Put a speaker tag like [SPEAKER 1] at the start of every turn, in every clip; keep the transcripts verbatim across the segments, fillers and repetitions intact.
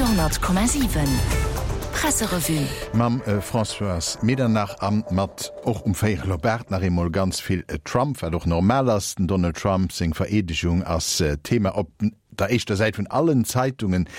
[SPEAKER 1] Radio honnert Komma siwen, Presserevue.
[SPEAKER 2] Mam Françoise Medernach a mat och um véierel op aacht nach eemol ganz vill Trump, wat och normal ass. Den Donald Trump seng Vereedegung ass Thema op der éischter Säit vun allen Zeitungen.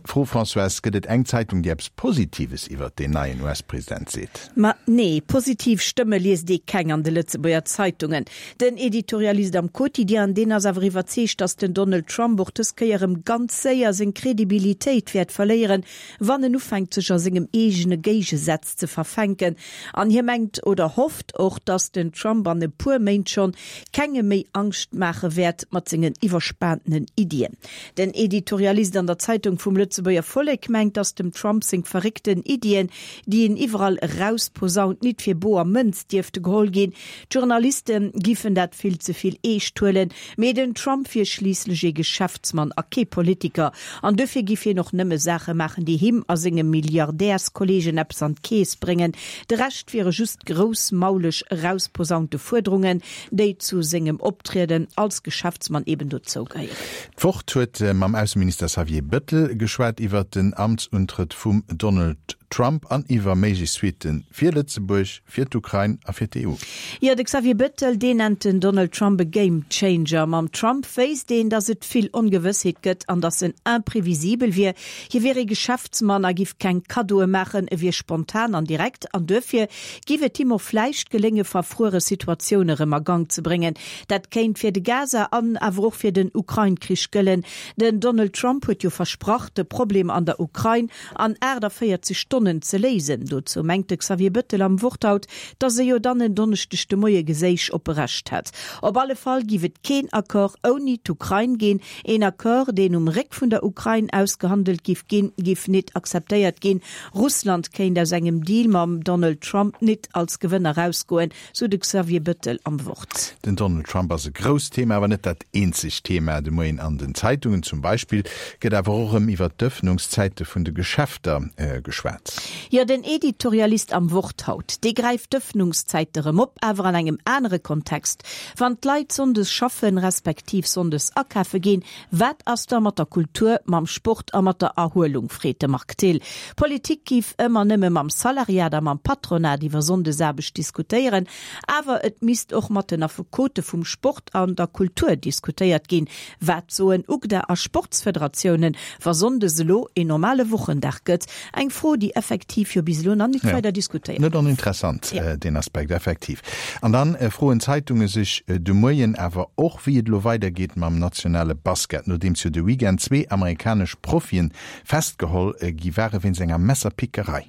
[SPEAKER 2] Fro, Françoise, Gëtt et eng Zeitung, déi eppes Positives iwwert deen neien U S-President seet?
[SPEAKER 3] Ma nee, positiv Stëmme liest ee keng an de Lëtzebuerger Zeitungen. Den Editorialist am Quotidien, deen ass awer iwwerzeegt, datt den Donald Trump och dës Kéier erëm ganz séier seng Kredibilitéit wäert verléieren, wann en ufänkt sech a sengem eegene Géigesätz ze verfänken. An hie mengt oder hofft och, datt den Trump an e puer Méint schonn kengem méi Angscht maache wäert mat sengen iwwerspaantenen Iddien. Den Editorialist an der Zeitung vum Lëtzebuerger Vollek mengt, datt dem Trump seng verréckten Iddien, déi en iwwerall erausposaunt, nit fir boer Mënz dierfte geholl ginn. D'Journaliste giffen dat vill ze vill eescht huelen, mee den Trump wier schliisslech ee Geschäftsmann a kee Politiker an dofir giff hien och nëmme Saache maachen, déi him a senge Milliardärskolleegen eppes an d'Keess bréngen. De Rescht wiere just groussmauleg erausposaunte Fuerderungen, déi zu sengem Optrieden als Geschäftsmann eben dozou gehéieren.
[SPEAKER 2] D'Wort huet mam Ausseminister Xavier Bettel geschwat iwwert den Amtsuntrëtt vum Donald Trump an iwwer méiglech Suitte fir Lëtzebuerg, fir d'Ukrain a fir d'E U.
[SPEAKER 3] Jo, de Xavier Bettel, deen nennt den Donald Trump e Game Changer. Mam Trump wéisst een, datt et vill Ongewëssheet gëtt an datt en imprevisibel wier. Hie wier ee Geschäftsmann a giff keng Kaddoe maachen, e wier spontan an direkt an duerfir giff et him och vläicht gelénge verfruere Situatioune rëm a Gank ze bréngen. Dat kéint fir de Gaza an awer och fir den Ukrain-Krich gëllen. Den Donald Trump huet jo versprach, de Problem an der Ukrain an aachtavéierzeg Stonnen ze léisen. Dozou mengt de Xavier Bettel am Wort haut, datt e jo dann en Donneschdeg de Moie geséich op e Recht hätt. Op alle Fall giff et keen Accord ouni d'Ukrain ginn. Een Accord, deen um Réck vun der Ukrain ausgehandelt giff ginn, giff nit akzeptéiert ginn. Russland kéint aus engem Deal mam Donald Trump nit als Gewënner erausgoen, sou de Xavier Bettel am Wort.
[SPEAKER 2] Den Donald Trump ass e grousst Thema, awer net dat eenzegt Thema de Moien an den Zeitungen. Zum Beispill gëtt awer och erëm iwwer d'Ëffnungszäite vun de Geschäfter geschwat.
[SPEAKER 3] Jo, den Editorialist am Wort haut, dee gräift d'Ëffnungszäite rëm op, awer an engem anere Kontext. Wann d'Leit sonndes schaffen, respektiv sonndes akafe ginn, wat ass da mat der Kultur, mam Sport a mat der Erhuelung, freet de Marc Thill. D'Politik giff ëmmer nëmme mam Salariat a mam Patronat iwwer Sonndesaarbecht diskutéieren, awer et misst och mat den Affekote vum Sport an der Kultur diskutéiert ginn. Wat soen UGDA a Sportsfederatiounen, wa sonndes elo een normale Wochendag gëtt? Eng Fro, déi effektiv jo bis elo nach net weider diskutéiert
[SPEAKER 2] gouf. Net oninteressant, deen Aspekt, effektiv. An dann froen d'Zeitunge sech de Moien awer och, wéi et elo weidergeet mam nationale Basket, nodeems jo de Weekend zwee amerikanesch Profien festgeholl gi ware wéinst enger Messerpickerei.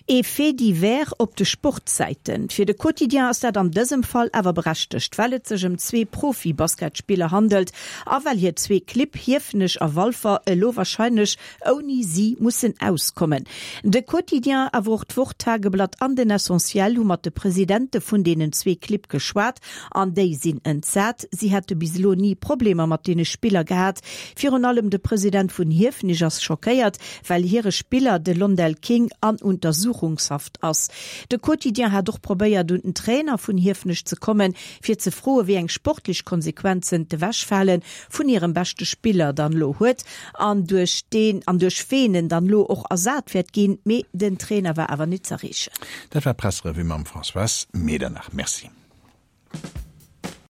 [SPEAKER 3] Ee Fait divers op de Sportsäiten. Fir de Quotidien ass dat an dësem Fall awer berechtegt, well et sech ëm zwee Profi-Basketspiller handelt a well hir zwee Clibb, Hiefenech a Walfer, elo warscheinlech ouni si mussen auskommen. De Quotidien, awer och d'Wort, Tageblatt an den Essentiel hu mat de Presidente vun deenen zwee Clibb geschwat an déi sinn entsat. Si hätte bis elo ni Problemer mat deene Spiller gehat. Virun allem de President vun Hiefenech ass schockéiert, well hire Spiller, de Londell King, an Untersuchungshaft ass. De Quotidien hat och probéiert, un den Trainer vun Hiefenech ze kommen, fir ze froen, wéi eng sportlech Konsequenzen d'Ewechfale vun hirem beschte Spiller dann elo huet an duerch deen an duerch ween en dann elo och ersat wäert ginn. Mee den Trainer war awer nit z'erreechen.
[SPEAKER 2] Dat war d'Presserevue mam Françoise Medernach. Merci.